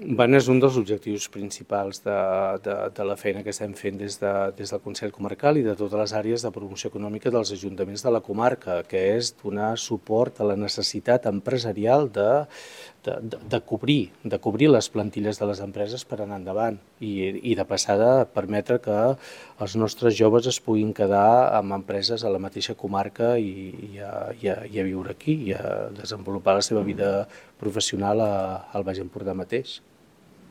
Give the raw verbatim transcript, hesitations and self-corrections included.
Bueno, és un dels objectius principals de, de, de la feina que estem fent des, de, des del Consell Comarcal i de totes les àrees de promoció econòmica dels ajuntaments de la comarca, que és donar suport a la necessitat empresarial de, de, de, de, cobrir, de cobrir les plantilles de les empreses per anar endavant i, i de passada permetre que els nostres joves es puguin quedar amb empreses a la mateixa comarca i, i, a, i, a, i a viure aquí i a desenvolupar la seva vida professional a, al Baix Empordà mateix.